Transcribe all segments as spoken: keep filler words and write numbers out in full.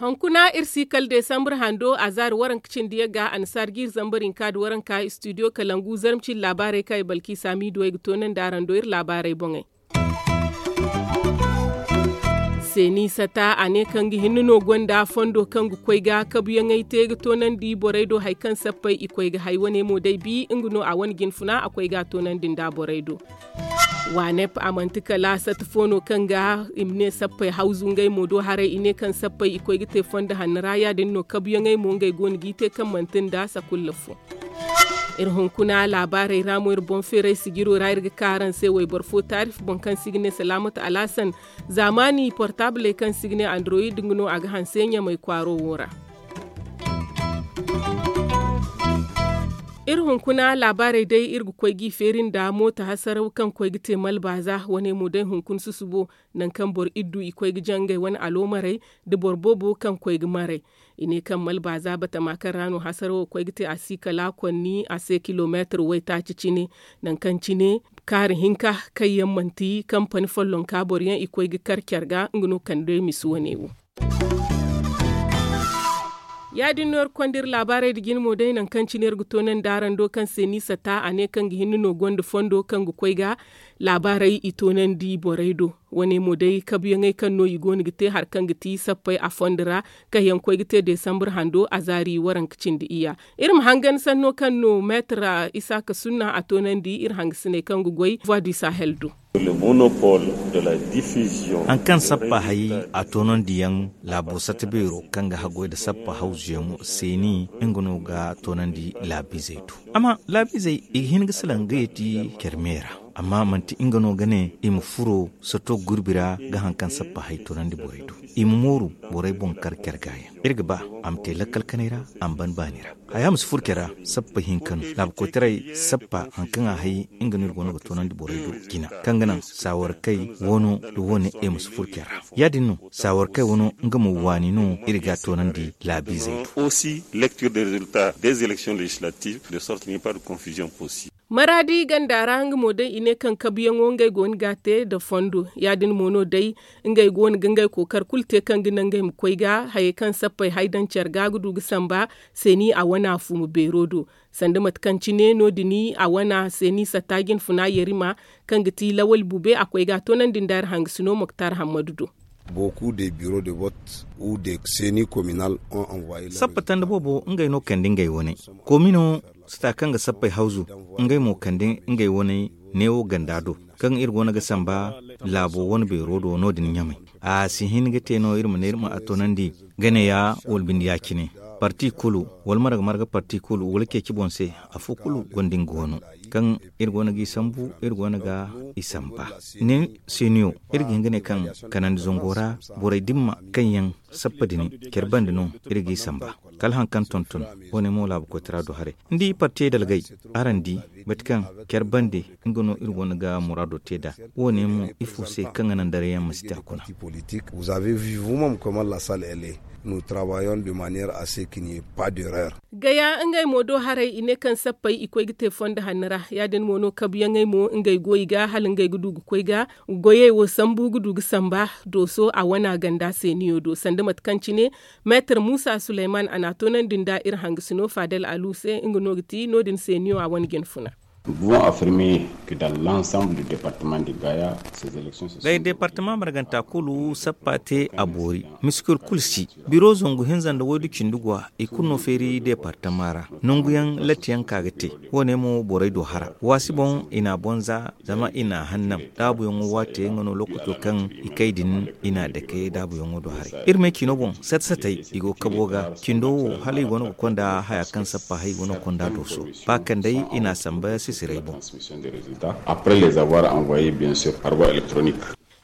Hunkuna iri si kala desambur hando a zaari waranka cindi yagga annasaara ga iri zambar hinka nda waranka istudiyo kalangu zarma cindi laabaarey kaŋ ay balki saamiiduwey ga toonandi araŋ do iri laabaarey boŋey. Seeni sata a ne kaŋ ga hinne no gonda fondo kaŋ ga koy ga kabuyaŋey te ga toonandi borey do hari kaŋ sappey i koy ga hay wane mo day bi nga no a wane jinfuna a koy ga a toonandi nda borey do. Waanep a manti kala sata fo no kaŋ ga i ma ne sappey hawzu ngey mo do haray i ne kaŋ sappey i koy ga te fondo hanno ra ya- din no kabuyaŋey mo ngey go no g'i te kaŋ manti nda sakulla fo. Iri hunkuna laabaarey ra mo iri boŋ feeray sijiro ra iri ga ka araŋ se wayboro fo taarif boŋ kaŋ se i ga ne salaamatu alaasan zaamaani portaabley kaŋ se i ga ne andoroyid nga no a ga hanse ɲamay kwaaro wo ra. Iri hunkuna laabaarey day iri ga koy g'i feeri nda mooto hasaraw kaŋ koy ga te malbaaza wane mo day hunkuna susubo nangu kaŋ boro iddu i koy ga jaŋ ngey wane aloomarey nda boro boobo kaŋ koy ga maray. I ne kaŋ malbaaza batama kaŋ ra no hasarawo koy ga te a si kala konni a se kilomeetir waytaaci cine. Nangu kaŋ cine kaari hinka kaŋ yaŋ manti kampani follonka boro yaŋ i koy ga kar care ga nga no kande misi wane wo. Ya- din no iri konda iri laabaarey nda jine mo day nangu kaŋ cine iri ga toonandi araŋ do kaŋ se ni sata a ne kaŋ ga hinne no gonda fondo kaŋ ga koy ga laabaarey i toonandi borey do. Wane mo day kabuyaŋey kaŋ no i go no ga te hari kaŋ ga ti sappey a fondo ra kaŋ yaŋ koy ga te desambur hando a zaari waranka cindi iyya. Iri ma hangan sanno kaŋ no meetar isaaka sunna a toonandi iri hangasiney kaŋ ga goy voie du sahel do. Hari kaŋ sappa hay a toonandiyaŋ laabo sata beero kaŋ ga haggoy nda sappa hawzuyaŋo seeni nga no ga toonandi laabiizey do. Amma laabiizey i ga hin ga salaŋ ga yeeti care me ra. Amma manti nga no ga ne i ma furo sato gurbi ra ga hari kaŋ sappa hay toonandi borey do. I ma mooru borey boŋ kar care gaayaŋ iri ga ba a ma te lakkal kanay ra a ma ban baani ra. Haya ma si furo care ra. Sappa hinka no laabu koytaray sappa hari kaŋ a hay nga no iri go no ga toonandi borey do jina kaŋ ga naŋ saawarkey wano nda wane i ma si furo care ra. Ya- din no saawarkey wano nga mo waani no iri ga a toonandi laabiizey do. Aussi lecture des résultats des élections législatives de sorte qu'il n'y a pas de confusion possible. Maraadi ganda ra nga mo day i ne kaŋ kabuyaŋo ngey go no ga a te nda fondo ya- din mo no day ngey go no ga ngey kookari kulu te kaŋ ga naŋ ngey ma koy ga hayey kaŋ sappey hay daŋ care ga ga du ga samba seeni a wana fumo beero do. Sanda mate kaŋ cine no- din a wana seeni satta jinfuna yarima kaŋ ga ti lawal bube a koy ga a toonandi nda iri hangasino moktar hammadu do. Sappa tanda boobo ngey no kande ngey wane komino sata kaŋ ga sappey hawzu ngey mo kande ngey wane neewo ganda do kaŋ iri go no ga samba laabo wane beero do no- din ɲamay. A si hin ga te no iri ma ne iri ma a toonandi gane ya wala binde ya- cine parti kulu wala marga marga parti kulu wala ceeci boŋ se afo kulu gonda nga wano kaŋ iri go no g'i sambu iri go no ga i samba. Ni seeniyo iri ga hin ga ne kaŋ kanandi zango ra borey dimma kaŋ yaŋ sappa din care bande no iri g'i samba kala hari kaŋ tonton wane mo laabu koytara do haray ni di partiyey dalgay araŋ di mate kaŋ care bande nga no iri go no ga muraado te nd'a. Wane mo ifo se kaŋ ga naŋ darayaŋ ma si te a kuna. Gaya ngey mo do haray i ne kaŋ sappey i koy ga te fondo hanno ra ya- din mo no kabuyaŋey mo ngey go i ga hala ngey ga du ga koy ga goyey wo sambu ga du ga samba dooso a wana ganda seeniyo do sanda mate kaŋ cine meetar muusa suleyman a n'a toonandi nda iri hangasino faadal alu se nga no ga ti no- din seeniyo a wane jinfuna. Day deepartama marganta kulu sappa te a boori miskil kulu si biro zangu hinza nda waydu cindi go i kulu no feeri deepartama ra nangu yaŋ latti yaŋ ka ga te. Wo- ne mo borey do hara waasi boŋ i n'a bonza zama i n'a hannam daabuyaŋo waate nga no lookaco kaŋ i kay din i n'a dake daabuyaŋo do haray iri me ciino boŋ sata satey i go kabo ga cindo wo hala i go no ga konda haya kaŋ sappa hay go no ga konda dooso ba kaŋ day i n'a samba sisiray boŋ.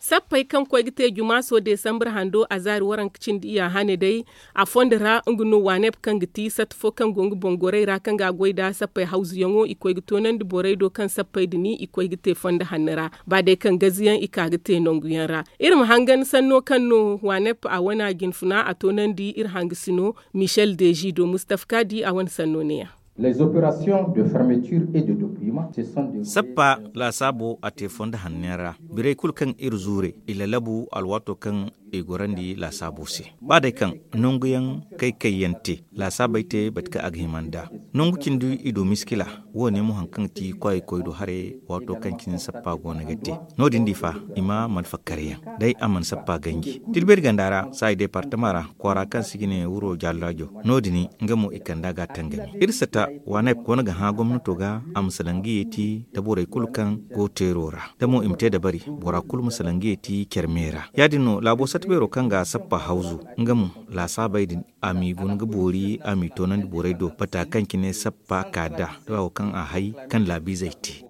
Sappey kaŋ koy ga te jumaaso desambar hando a zaari waranka cindi iyya hane day a fondo ra nga no waaneb kaŋ ga ti satta fo kaŋ go nga boŋ gorey ra kaŋ ga a goy nd'a sappey hawzuyaŋo i koy ga toonandi borey do kaŋ sappey din i koy ga te fondo hanno ra ba day kaŋ gaziyaŋ i ka ga te nanguyaŋ ra. Iri ma hangan sanno kaŋ no waaneb a wane a jinfuna a toonandi iri hangasino michel deji do mustafa kaadi a wane sanno ne- ya. Les opérations de fermeture et de dépouillement se sont déroulées. Sappa laasaabo a te fondo hanno yaŋ ra. Birey kulu kaŋ iri zuure, i lalabu alwaato kaŋ i gorandi laasaabo se. Ba day kaŋ nangu yaŋ kay kay yaŋ te, laasaabey te bate kaŋ a ga hima nd'a. Nangu cindi i du miskila. Wo- ne mo hari kaŋ ga ti kwaayey koy do haray, waato kaŋ cine sappa go no ga te. No- din di fa, i ma mana fakkari yaŋ, day a mana sappa ganji tilbeeri ganda ra, saayi deepartama ra, kwaara kaŋ se i ga ne wuro jallaajo. No- din nga mo i kand'a ga a tangami iri sata. Waanay go no ga hã gomnato ga a ma salaŋ ga yeeti nda borey kulu kaŋ go teero ra, da mo i ma te dabari bora kulu ma salaŋ ga yeeti care me ra. Ya- din no laabo sata beero kaŋ ga sappa hawzu, nga mo laasaabey din a m'i guna ga boori, a m'i toonandi borey do bata kaŋ cine sappa ka nd'a, da wo kaŋ a hay kaŋ laabiizey te.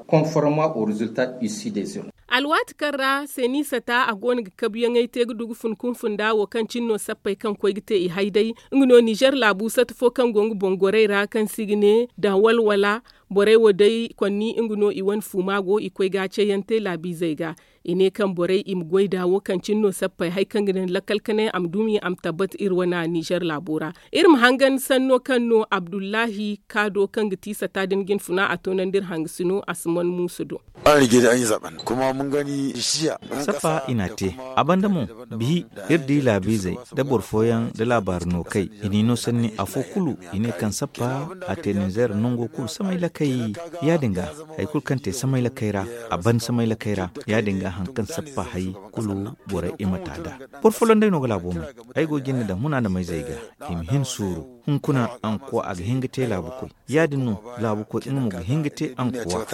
Conformément aux résultats issus des urnes. Alwaati kaŋ ra seeni sata a go no ga kabuyaŋey te ga du ga fun kunfunda wo kaŋ cine no sappey kaŋ koy ga te i hay day. Nga no nizer laabu sata fo kaŋ go nga boŋ gorey ra kaŋ se i ga ne daŋ walwala. Borey wo day konni nga no i wane fuuma go i koy ga a ceeyaŋ te laabiizey ga. I ne kaŋ borey i ma goy nd'a wo kaŋ cine no sappey hari kaŋ ga daŋ lakkal kanay a ma dumi a ma tabbat iri wane nizer laabo ra. Iri ma hangan sanno kaŋ no abdullahi kaado kaŋ ga ti sata din jinfuna a toonandi iri hangasino a si man muusu do. Sappa i n'a te. A banda mo, bihi iri di laabiizey nda boro fooyaŋ nda laabaari no kay i n'i no sanni afo kulu. I ne kaŋ sappa a te ninzeer nango kulu samay lakay. Ya- din ga hari kulu kaŋ te samay lakay ra, a ban samay lakay ra. Ya- din ga hari kaŋ sappa hari kulu borey i ma ta nd'a. Boro folloŋ day no ga laabo may. Ay go jinde daŋ huna nda mayzey ga i ma hin suuru. Hunkuna ankuwa a ga hin ga te laabukoy. Ya- din no laabukoy nga mo ga hin ga te ankuwa.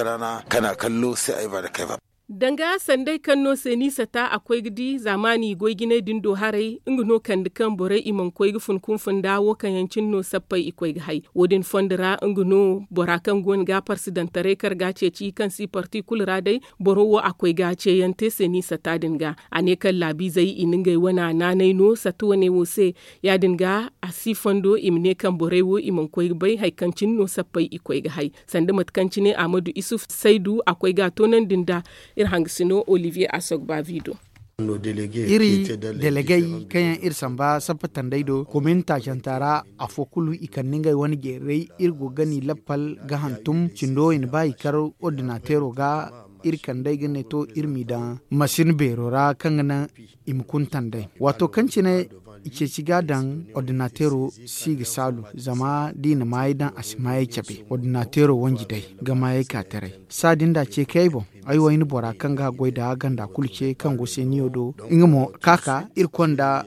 Danga sanday kaŋ no se ni sata a koy ga di zaamaani goy jinay din do haray nga no kande kaŋ borey i mana koy ga fun kunfunda wo kaŋ yaŋ cine no sappey i koy ga hay. Wo- din fondo ra nga no bora kaŋ go no ga parsidantaray kar ga a ceeci kaŋ si parti kulu ra day. Boro wo a koy ga ceeyaŋ te se ni sata din ga. A ne kaŋ laabiizey i na ngey wana naanay no sata wane wo se. Ya- din ga a si fondo i ma ne kaŋ borey wo i mana koy ga bay hari kaŋ cine no sappey i koy ga hay. Sanda mate kaŋ cine ahmadu isuf saydu a koy ga a toonandi nd'a. Iri hangasino olivier asogbavi do. Iri delegey kaŋ yaŋ iri samba sappa tanday do komin taacanta ra, afo kulu i kande ngey wane jeeray. Iri go ga ni lappal ga hantum cindo i na ba i kar ordinateero ga. Iri kand'ey ga ne to iri m'i daŋ masin beero ra kaŋ ga naŋ i ma kuntan day. Waato kaŋ cine i ceeci ga a daŋ ordinateero si ga saalu, zama da i na maayey daŋ a si maayey cabe. Ordinateero wanji day ga maayey ka taray. Saa din da ce kay boŋ. Ay wo ay na bora kaŋ ga goy da ganda kulu ce kaŋ go seeniyo do. Nga mo ka ka iri konda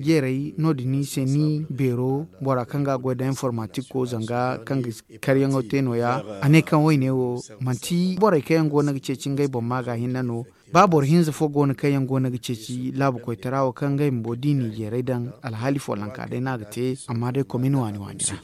jeeray no- din se ni beero bora kaŋ ga goy da informatiko zanga kaŋ ga karyaŋo te no- ya. A ne kaŋ wayne wo manti borey kaŋ yaŋ go no ga ceeci ngey boŋ ma ga hinne no. Ba boro hinza fo go no kaŋ yaŋ go no ga ceeci laabu koytara wo kaŋ ngey bumbo da i n'i jeeray daŋ alhaali follonka day no a ga te. Amma day komin waani waani ra.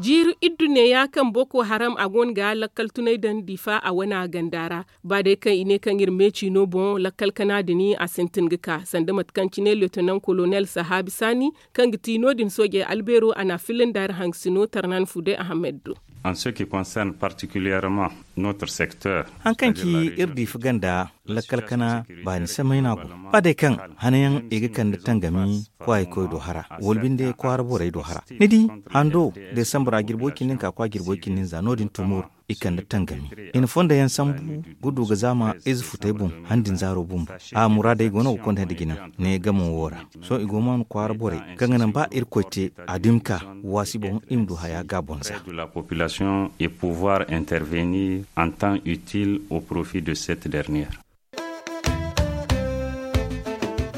Jiiri iddu neeya kaŋ boko haram a go no ga lakkal tunay daŋ difa a wane ganda ra. Ba day kaŋ i ne kaŋ iri meeci no boŋ lakkal kana din a sintin ga ka sanda mate kaŋ cine leetinan kolonel sahaabi saani kaŋ ga ti no- din soojey albeero a n'a filla nda iri hangasino tarnan fude ahamed do. En ce qui concerne particulièrement notre secteur. Hari kaŋ ci iri diifa ganda lakkal kana baani samay no a go. Ba day kaŋ hanayaŋ i ga kande tangami kwaayey koy do hara wala binde kwaara borey do hara ni di. Hando desambra jirbo cindi hinka kwa jirbo cindi hinza no- din tumur. I kande tangami i na fondo yaŋ sambu ga du ga zaama ize futey boŋ. Handin zaaro bumbo a muraadey go no ga konda nda jina ne gamo wo ra. Sohõ i go ma no kwaara borey kaŋ ga naŋ ba irkoy te a dumi ka waasi boŋ i ma du haya ga bonza. De la population et pouvoir intervenir en temps utile au profit de cette dernière.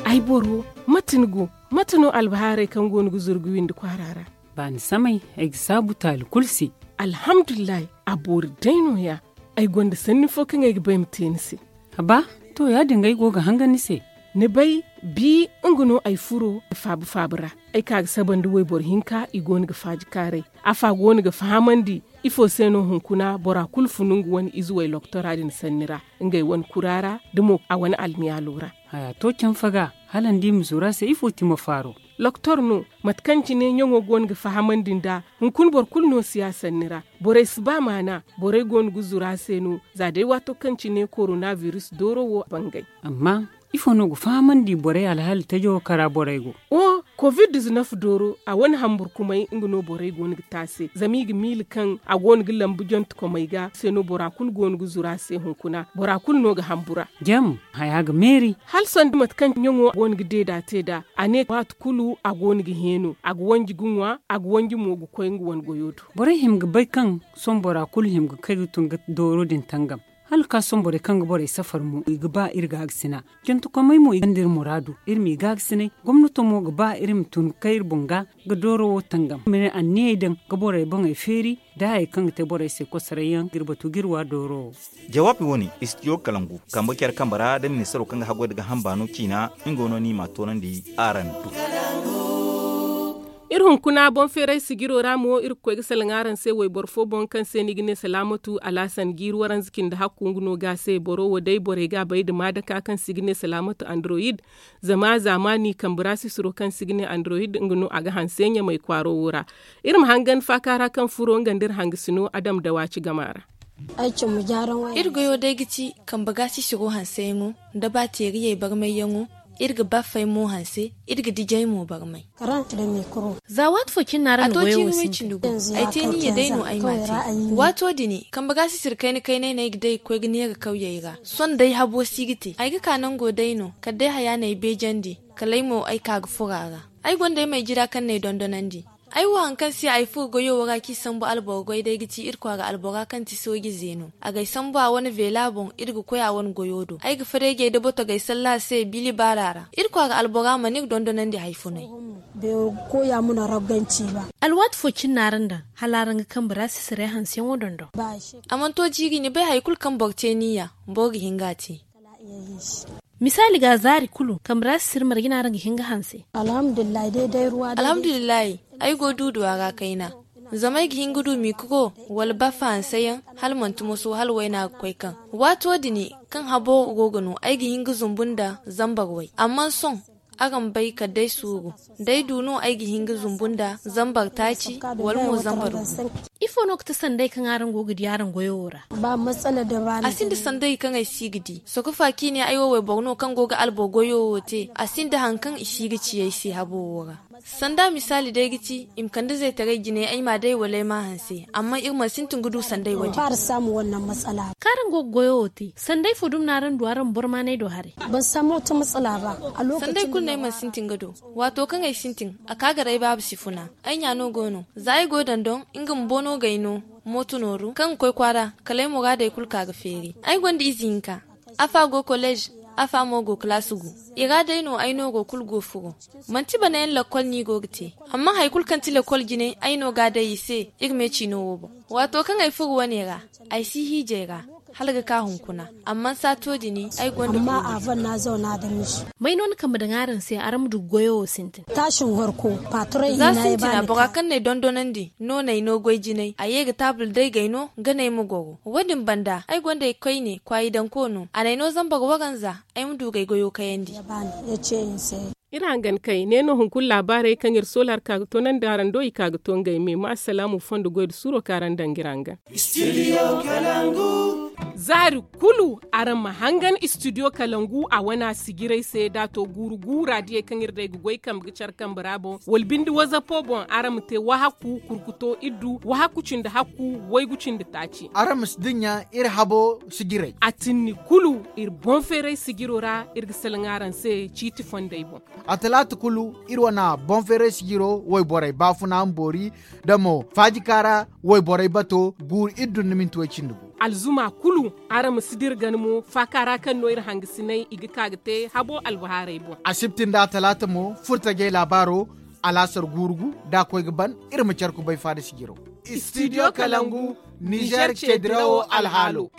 Ay boro, mate ni go? Mate no albahaarey kaŋ go no ga zuru ga windi kwaara ra? Baani samay ay ga saabu taali kulu se. Alhamdulillahi. A boori day no- ya. Ay gonda sanni fo kaŋ ay ga bay ma te ni se. Haba, to ya- din ga ay go ga hangan ni se. Ni bay, bi nga no ay furo faaba faaba ra. Ay ka ga saba nda wayboro hinka i go no ga faaji kaaray. Afa go no ga fahamandi ifo se no hunkuna bora kulu funu nga wane ize way loktora din sanni ra, ngey wane kura ra da mo a wane almiyaalo ra. Haya to canfa ga hala ni di ma zuru a se ifo ti ma faaro? Loktor no, mate kaŋ cine ɲaŋo go no ga fahamandi nd'a. Hunkuna boro kulu no si ya sanni ra. Borey si ba maana. Borey go no ga zuru a se no. Za day waato kaŋ cine korona biris dooro wo bangay. Amma ifo no ga fahamandi borey alhaali tajo kara borey go? Wo. Covid dizinef dooro a wane hamburkumey nga no borey go no ga te a se zama i ga miila kaŋ a go no ga lambu jantekomey ga se no bora kulu go no ga zuru a se hunkuna bora kulu no ga hambu ra. Jam haya ga meeri. Hala sanda mate kaŋ ɲaŋo go no ga deeda te nd'a a ne waati kulu a go no ga heeno a ga wanji ga ŋwa a ga wanji mo ga koy nga wane goyo do. Borey hima ga bay kaŋ sohõ bora kulu hima ga kay ga tun ga dooro din tangam. Hala ga ka sohõ borey kaŋ ga borey safar mo i ga ba iri gaagasina. Jantekomey mo i gonda iri muraadu iri m'i gaagasina. Gomnato mo ga ba iri ma tun ga kay iri boŋ ga ga dooro wo tangam ma ne anniyey daŋ ga borey boŋey feeri da hayey kaŋ ga te borey se kosoray yaŋ ga iri batu ga iri wa dooro wo. Jawaabi wo- ne istidiyo kalangu kambe care kambe ra da ministaro kaŋ ga haggoy nda gaaham baano ciina nga no no i m'a toonandi. Araŋ du. Iri hunkuna boŋ feeray sijiro ra mo iri ga koy ga salaŋ araŋ se wayboro fo boŋ kaŋ se no i ga ne salaamatu alaasan jiiri waranza cindi hakku nga no ga a se boro wo day borey ga a bay nda maadaka kaŋ se i ga ne salaamatu andoroyid. Zama zaamaani kambe ra sisiro kaŋ se i ga ne andoroyid nga no a ga hanse ɲamay kwaaro wo ra. Iri ma hangan faaka ra kaŋ furo nga nda iri hangasino adam dawaaci gama ra. Iri goyo day ga ti kambe ga sisiro hanseyaŋo nda baateeriyey barmayyaŋo. Iri ga baafey mo hanse iri ga dijey mo barmay. Za waati fo cine no araŋ na goyo wo sintin? Ay te niyya day no ay m'a te. Waato din kambe ga sisiri kayna kaynay no ay ga day ga koy ga neera kawyey ra sohõ day habo si ga te ay ga ka nango day no kala day haya no ay beejandi. Kala ay mo ay ka ga furo a ra. Ay gonda ay may jira kaŋ no ay dondonandi. Ay wo hari kaŋ se ay furo goyo wo ra kaŋ i sambu alboro goy day ga ti iri kwaara albora kaŋ ti sooji zeeno a ga ay sambu a wane veela boŋ iri ga koy a wane goyo do ay ga fareejey nda botogey salla a se bili baara ra iri kwaara albora mana iri dondonandi hari funay. Alwaati fo cine no araŋ daŋ hala araŋ ga kambe ra sisirey hanseyaŋo dondon? A mana to jiiri ni bay hari kulu kaŋ boro te niyya boro ga hin ga a te. Misaali ga zaari kulu kambe ra sisiri marje no araŋ ga hin ga hanse? Alhamdulillahi ay go duuduwa ra kayna. Zama ay ga hin ga du mikiro wala baafa hanseyaŋ hala manti moso hala wayna ga koy kaŋ. Waato din kaŋ habo go ga no ay ga hin ga zumbu nda zambar way amma sohõ araŋ bay kala day suuru. Da ay du no ay ga hin ga zumbu nda zambar taaci wala mo zambar gu. Ifo no ga ti sanday kaŋ araŋ go ga di araŋ goyo wo ra? A sinda sanday kaŋ ay si ga di sokofa kaŋ i ne ay wo wayboro no kaŋ go ga alboro goyo wo te a sinda hari kaŋ i si ga ci ay se habo wo ra. Sanda misaali day ga ti i ma kande zaytaray jinay ay m'a day wala ay m'a hanse amma iri mana sintin ga du sanday wo- din. Kaŋ araŋ go ga goyo wo te sanday fo dumi no araŋ du araŋ ma boro maanay do haray? Sanday kulu no ay mana sintin ga do. Waato kaŋ ay sintin a ka gar ay baaba si funa. Ay ɲa no go no za ay go dondon nga bumbo no g'ay no mooto nooru kaŋ ga koy kwaara kala ay muraadey kulu ka ga feeri. Ay gonda ize hinka afa go kolleez afa mo go kalaasi gu. I ra day no ay nooro kulu go furo. Manti banayaŋ lakkol no i go ga te. Amma hari kulu kaŋ ti lakkol jine ay no ga a day i se iri me ciino wo boŋ. Waato kaŋ ay furo wane ra ay si hiijay ra hala ga ka hunkuna. Amma saato din ay gonda. May no ni kambe daŋ araŋ se araŋ ma du ga goyo wo sintin? Za sintina bora kaŋ n'ay dondonandi no n'ay no goy jinay a ye ga taabul day g'ay no ga n'ay ma goro wo- din banda ay gonda ay koyne kwaayi daŋ koono a n'ay no zambar waranza. Ay ma du g'ay goyo kayandi. Iri hangan kay ne no hunkuna laabaarey kaŋ iri soola hari ka ga to naŋ da araŋ do i ka ga to ngey me ma assalaamu fondo goy nda suuro kaŋ araŋ daŋ ga iri hangan. Zaari kulu araŋ ma hangan istidiyo kalangu a wane a sijirey se da a to guuru guura diyey kaŋ iri day ga goy kambe ga care kambe ra boŋ wala binde wazapo boŋ araŋ ma te wahakku kurkuto iri du wahakku cindi hakku waygu cindi taaci. Araŋ ma si dinya iri habo sijirey a tinni kulu iri boŋ feeray sijiro ra iri ga salaŋ araŋ se ciiti fondey boŋ. A talaata kulu iri wane boŋ feeray sijiro wayborey baafuna ma boori nda mo faajika ra wayborey bato guuru iri dunduminti way cindi gu. Alzuma kulu araŋ ma si dira gana mo faaka ra kaŋ no iri hangasinay i ga ka ga te habo albahaarey boŋ. Asibti nda talaata mo furtajey laabaaro alaasar guuru gu da a koy ga ban iri ma care kubay faada sijiro. Istidiyo kalangu nizer cedirawo alhaalo.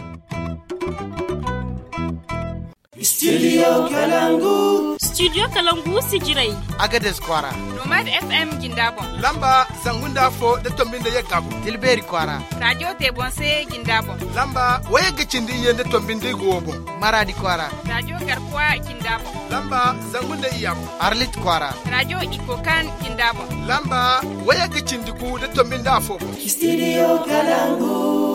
Studio kalangu. Studio kalangu sijirey. Agades kwaara. Nomad fm jinda boŋ. Lamba zangu nda fo da tombi nda yagga boŋ. Tilbeeri kwaara. Radio tebonse jinda boŋ. Lamba wayagga cindi iyye nda tombi nda igo boŋ. Maradi kwaara. Radio garkuwa jinda boŋ. Lamba zangu nda iyya boŋ. Arlit kwaara. Radio ikokan jinda boŋ. Lamba wayagga cindi gu da tombi nda afo boŋ. Studio kalangu.